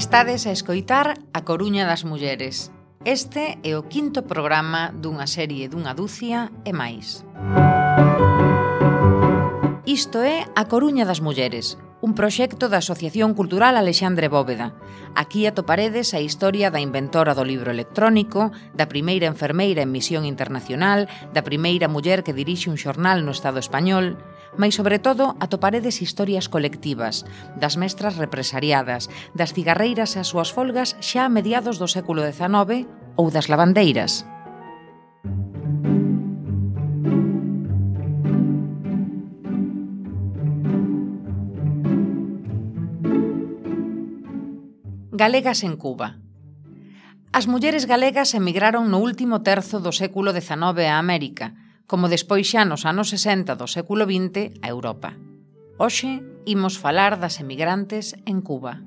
Estades a escoitar A Coruña das Mulleres. Este é o quinto programa dunha serie dunha dúcia e máis. Isto é A Coruña das Mulleres, un proxecto da Asociación Cultural Alexandre Bóveda. Aquí atoparedes a historia da inventora do libro electrónico, da primeira enfermeira en misión internacional, da primeira muller que dirixe un xornal no Estado español, mais sobre todo atoparedes historias colectivas, das mestras represariadas, das cigarreiras e as súas folgas xa a mediados do século XIX ou das lavandeiras. Galegas en Cuba. As mulleres galegas emigraron no último terzo do século XIX a América, como despois xa nos anos 60 do século XX a Europa. Hoxe imos falar das emigrantes en Cuba.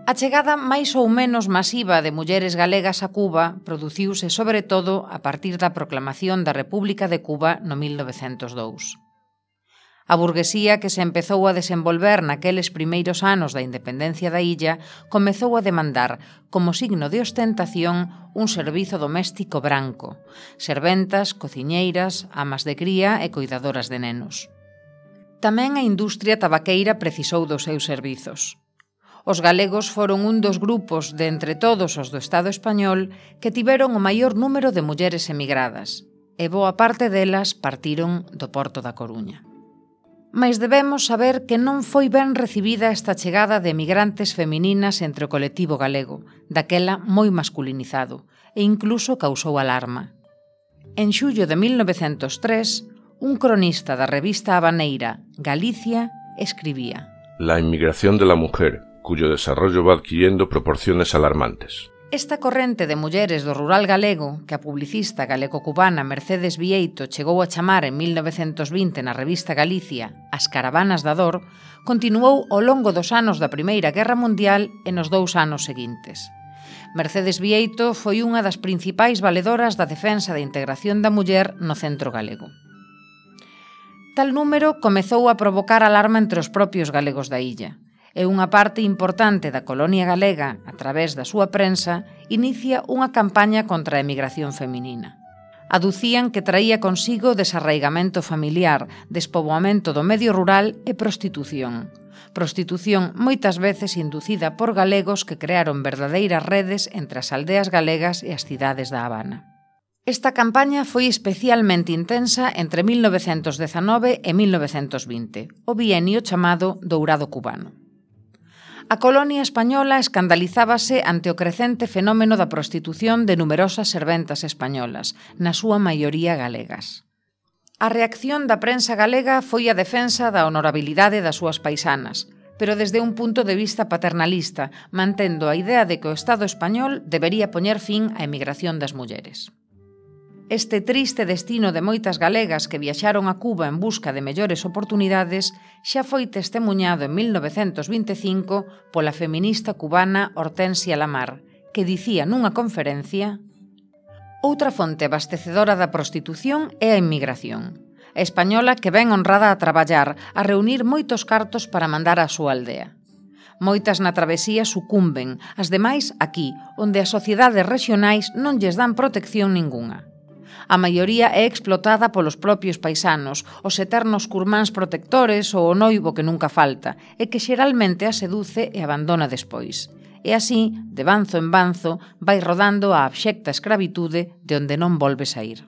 A chegada máis ou menos masiva de mulleres galegas a Cuba produciuse sobre todo a partir da proclamación da República de Cuba no 1902. A burguesía que se empezou a desenvolver naqueles primeiros anos da independencia da illa comezou a demandar, como signo de ostentación, un servizo doméstico branco, serventas, cociñeiras, amas de cría e coidadoras de nenos. Tamén a industria tabaqueira precisou dos seus servizos. Os galegos foron un dos grupos de entre todos os do Estado español que tiveron o maior número de mulleres emigradas, e boa parte delas partiron do Porto da Coruña. Mais debemos saber que non foi ben recibida esta chegada de emigrantes femininas entre o colectivo galego, daquela moi masculinizado, e incluso causou alarma. En xullo de 1903, un cronista da revista habaneira Galicia escribía: La inmigración de la mujer, cuyo desarrollo va adquiriendo proporciones alarmantes. Esta corrente de mulleres do rural galego, que a publicista galego-cubana Mercedes Vieito chegou a chamar en 1920 na revista Galicia As Caravanas da Dor, continuou ao longo dos anos da Primeira Guerra Mundial e nos 2 anos seguintes. Mercedes Vieito foi unha das principais valedoras da defensa da integración da muller no centro galego. Tal número comezou a provocar alarma entre os propios galegos da illa, e unha parte importante da colonia galega, a través da súa prensa, inicia unha campaña contra a emigración feminina. Aducían que traía consigo desarraigamento familiar, despoboamento do medio rural e prostitución. Prostitución moitas veces inducida por galegos que crearon verdadeiras redes entre as aldeas galegas e as cidades da Habana. Esta campaña foi especialmente intensa entre 1919 e 1920, o bienio chamado Dourado Cubano. A colonia española escandalizábase ante o crecente fenómeno da prostitución de numerosas serventas españolas, na súa maioría galegas. A reacción da prensa galega foi a defensa da honorabilidade das súas paisanas, pero desde un punto de vista paternalista, mantendo a idea de que o Estado español debería poñer fin á emigración das mulleres. Este triste destino de moitas galegas que viaxaron a Cuba en busca de mellores oportunidades xa foi testemuñado en 1925 pola feminista cubana Hortensia Lamar, que dicía nunha conferencia: outra fonte abastecedora da prostitución é a inmigración. A española que ven honrada a traballar, a reunir moitos cartos para mandar á súa aldea. Moitas na travesía sucumben, as demais aquí, onde as sociedades rexionais non lles dan protección ningunha. A maioría é explotada polos propios paisanos, os eternos curmáns protectores ou o noivo que nunca falta, e que xeralmente a seduce e abandona despois. E así, de banzo en banzo, vai rodando a abxecta escravitude de onde non volve saír.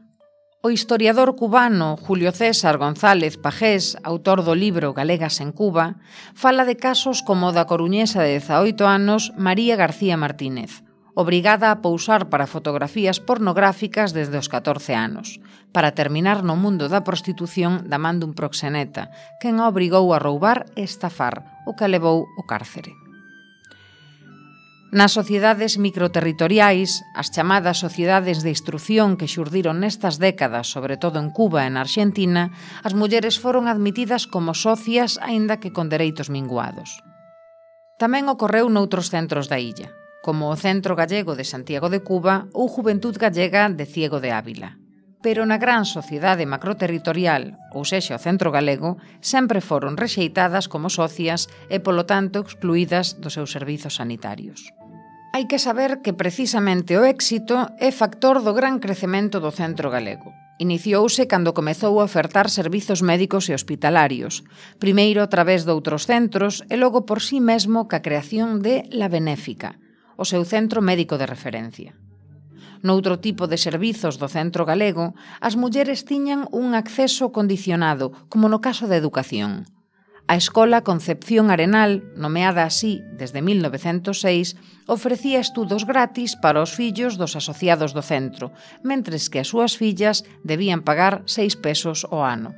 O historiador cubano Julio César González Pagés, autor do libro Galegas en Cuba, fala de casos como o da coruñesa de 18 anos María García Martínez, obrigada a pousar para fotografías pornográficas desde os 14 anos, para terminar no mundo da prostitución da man dun proxeneta, quen a obrigou a roubar e estafar, o que a levou ao cárcere. Nas sociedades microterritoriais, as chamadas sociedades de instrución que xurdiron nestas décadas, sobre todo en Cuba e na Arxentina, as mulleres foron admitidas como socias, aínda que con dereitos minguados. Tamén ocorreu noutros centros da illa, como o Centro Gallego de Santiago de Cuba ou Juventud Gallega de Ciego de Ávila. Pero na gran sociedade macroterritorial, ou sexa o Centro Galego, sempre foron rexeitadas como socias e, polo tanto, excluídas dos seus servizos sanitarios. Hai que saber que precisamente o éxito é factor do gran crecemento do Centro Galego. Iniciouse cando comezou a ofertar servizos médicos e hospitalarios, primeiro a través doutros centros e logo por sí mesmo ca creación de La Benéfica, o seu centro médico de referencia. Noutro tipo de servizos do Centro Galego, as mulleres tiñan un acceso condicionado, como no caso da educación. A Escola Concepción Arenal, nomeada así desde 1906, ofrecía estudos gratis para os fillos dos asociados do centro, mentres que as súas fillas debían pagar 6 pesos ao ano.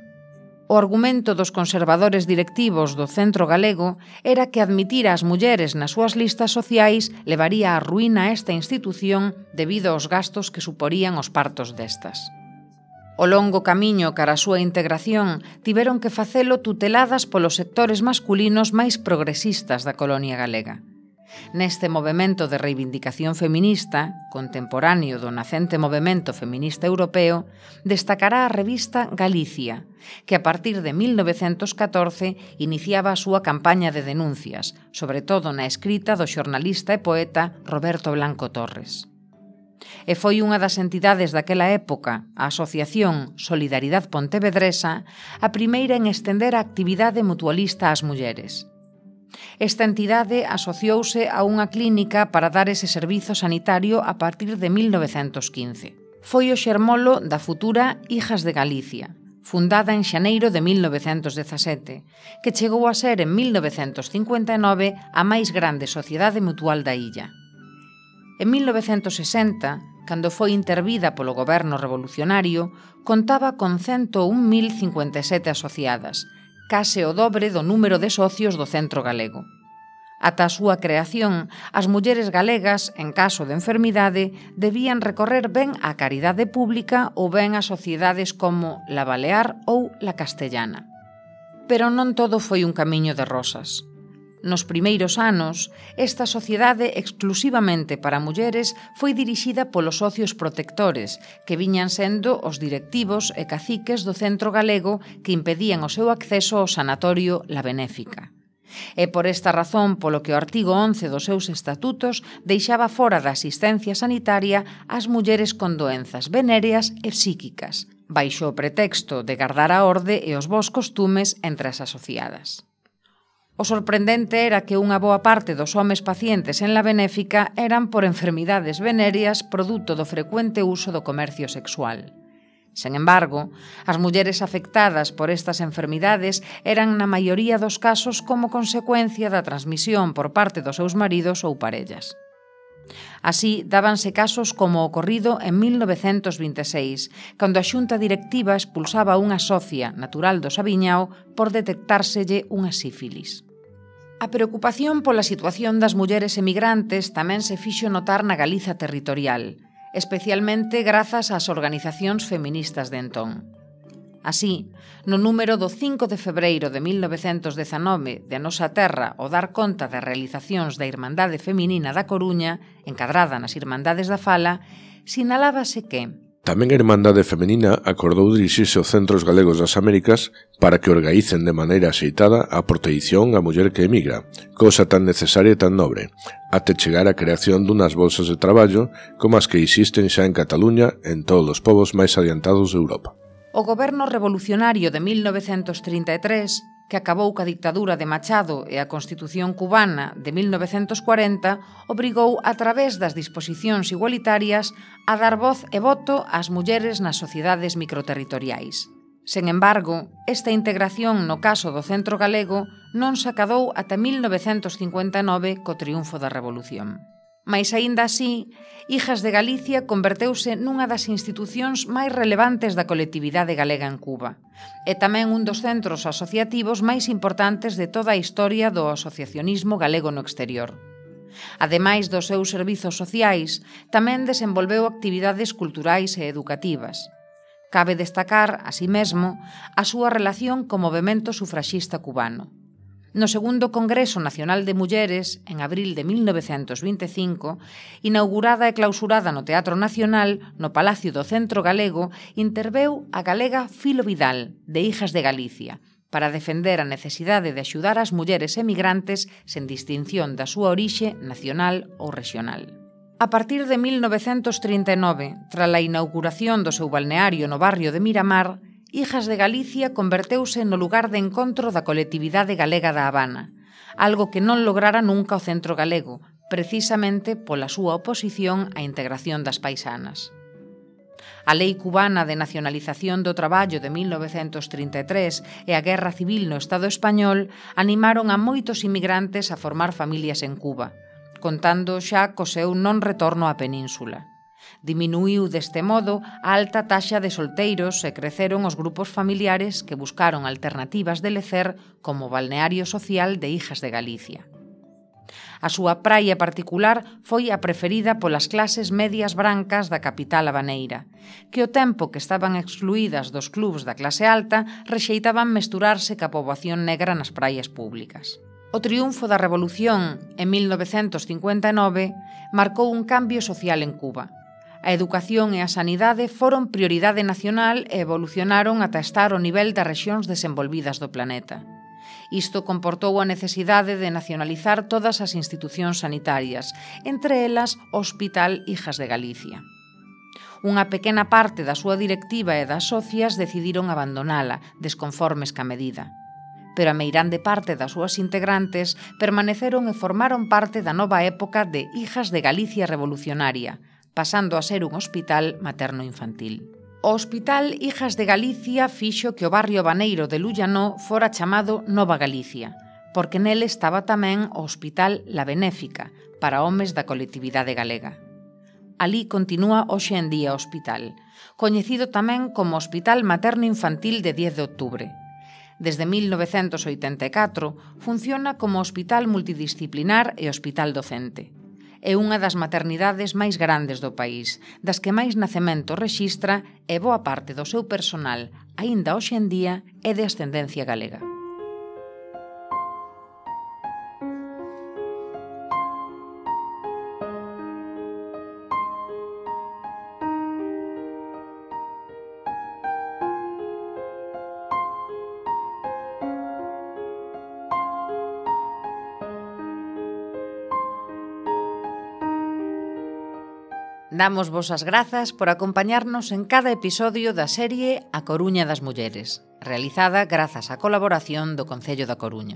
O argumento dos conservadores directivos do Centro Galego era que admitir as mulleres nas súas listas sociais levaría á ruína a esta institución debido aos gastos que suporían os partos destas. O longo camiño cara a súa integración tiveron que facelo tuteladas polos sectores masculinos máis progresistas da colonia galega. Neste movemento de reivindicación feminista, contemporáneo do nacente movemento feminista europeo, destacará a revista Galicia, que a partir de 1914 iniciaba a súa campaña de denuncias, sobre todo na escrita do xornalista e poeta Roberto Blanco Torres. E foi unha das entidades daquela época, a Asociación Solidaridade Pontevedresa, a primeira en estender a actividade mutualista ás mulleres. Esta entidade asociouse a unha clínica para dar ese servizo sanitario a partir de 1915. Foi o xermolo da futura Hijas de Galicia, fundada en xaneiro de 1917, que chegou a ser en 1959 a máis grande sociedade mutual da illa. En 1960, cando foi intervida polo goberno revolucionario, contaba con 101.057 asociadas, case o dobre do número de socios do Centro Galego. Ata a súa creación, as mulleres galegas, en caso de enfermidade, debían recorrer ben á caridade pública ou ben a sociedades como La Balear ou La Castellana. Pero non todo foi un camiño de rosas. Nos primeiros anos, esta sociedade exclusivamente para mulleres foi dirixida polos socios protectores, que viñan sendo os directivos e caciques do Centro Galego que impedían o seu acceso ao sanatorio La Benéfica. É por esta razón polo que o artigo 11 dos seus estatutos deixaba fora da asistencia sanitaria as mulleres con doenzas venéreas e psíquicas, baixo o pretexto de gardar a orde e os bons costumes entre as asociadas. O sorprendente era que unha boa parte dos homes pacientes en La Benéfica eran por enfermidades venéreas produto do frecuente uso do comercio sexual. Sen embargo, as mulleres afectadas por estas enfermidades eran na maioría dos casos como consecuencia da transmisión por parte dos seus maridos ou parellas. Así, dábanse casos como o ocorrido en 1926, cando a xunta directiva expulsaba a unha socia natural do Sabiñao por detectárselle unha sífilis. A preocupación pola situación das mulleres emigrantes tamén se fixo notar na Galiza territorial, especialmente grazas ás organizacións feministas de entón. Así, no número do 5 de febreiro de 1919 de A Nosa Terra o dar conta das realizacións da Irmandade Feminina da Coruña, encadrada nas Irmandades da Fala, sinalábase que tamén a Irmandade Femenina acordou dirixirse aos centros galegos das Américas para que organicen de maneira axeitada a proteición á muller que emigra, cousa tan necesaria e tan nobre, até chegar á creación dunhas bolsas de traballo como as que existen xa en Cataluña en todos os povos máis adiantados de Europa. O goberno revolucionario de 1933, que acabou ca dictadura de Machado e a Constitución cubana de 1940, obrigou a través das disposicións igualitarias a dar voz e voto ás mulleres nas sociedades microterritoriais. Sen embargo, esta integración no caso do Centro Galego non se acadou ata 1959 co triunfo da Revolución. Mais aínda así, Hijas de Galicia converteuse nunha das institucións máis relevantes da colectividade galega en Cuba e tamén un dos centros asociativos máis importantes de toda a historia do asociacionismo galego no exterior. Ademais dos seus servizos sociais, tamén desenvolveu actividades culturais e educativas. Cabe destacar, así mesmo, a súa relación co movemento sufraxista cubano. No segundo Congreso Nacional de Mulleres, en abril de 1925, inaugurada e clausurada no Teatro Nacional, no Palacio do Centro Galego, interveu a galega Filo Vidal, de Hijas de Galicia, para defender a necesidade de axudar as mulleres emigrantes sen distinción da súa orixe nacional ou rexional. A partir de 1939, tras a inauguración do seu balneario no barrio de Miramar, Hijas de Galicia converteuse no lugar de encontro da colectividade galega da Habana, algo que non lograra nunca o Centro Galego, precisamente pola súa oposición á integración das paisanas. A Lei Cubana de Nacionalización do Traballo de 1933 e a Guerra Civil no Estado español animaron a moitos inmigrantes a formar familias en Cuba, contando xa co seu non retorno á península. Diminuíu deste modo a alta taxa de solteiros e creceron os grupos familiares que buscaron alternativas de lecer como balneario social de Hijas de Galicia. A súa praia particular foi a preferida polas clases medias brancas da capital habaneira, que ao tempo que estaban excluídas dos clubs da clase alta rexeitaban mesturarse ca poboación negra nas praias públicas. O triunfo da Revolución en 1959 marcou un cambio social en Cuba. A educación e a sanidade foron prioridade nacional e evolucionaron ata estar ao nivel das rexións desenvolvidas do planeta. Isto comportou a necesidade de nacionalizar todas as institucións sanitarias, entre elas o Hospital Hijas de Galicia. Unha pequena parte da súa directiva e das socias decidiron abandonala, desconformes ca medida. Pero a meirande parte das súas integrantes permaneceron e formaron parte da nova época de Hijas de Galicia Revolucionaria, pasando a ser un hospital materno-infantil. O Hospital Hijas de Galicia fixo que o barrio habaneiro de Llullano fora chamado Nova Galicia, porque nele estaba tamén o Hospital La Benéfica, para homes da colectividade galega. Alí continúa hoxe en día o hospital, coñecido tamén como Hospital Materno-Infantil de 10 de outubro. Desde 1984 funciona como hospital multidisciplinar e hospital docente. É unha das maternidades máis grandes do país, das que máis nacementos rexistra e boa parte do seu personal, aínda hoxe en día, é de ascendencia galega. Damos vos as grazas por acompañarnos en cada episodio da serie A Coruña das Mulleres, realizada grazas á colaboración do Concello da Coruña.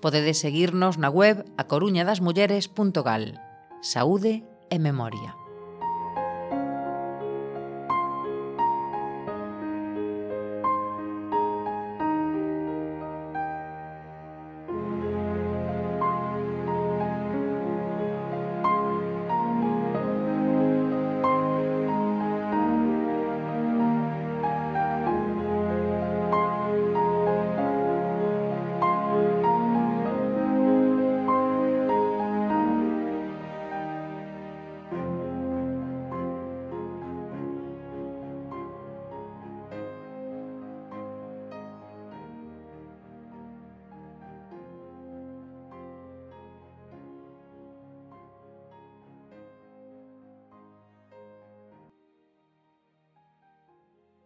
Podedes seguirnos na web acoruñadasmulleres.gal. Saúde e memoria.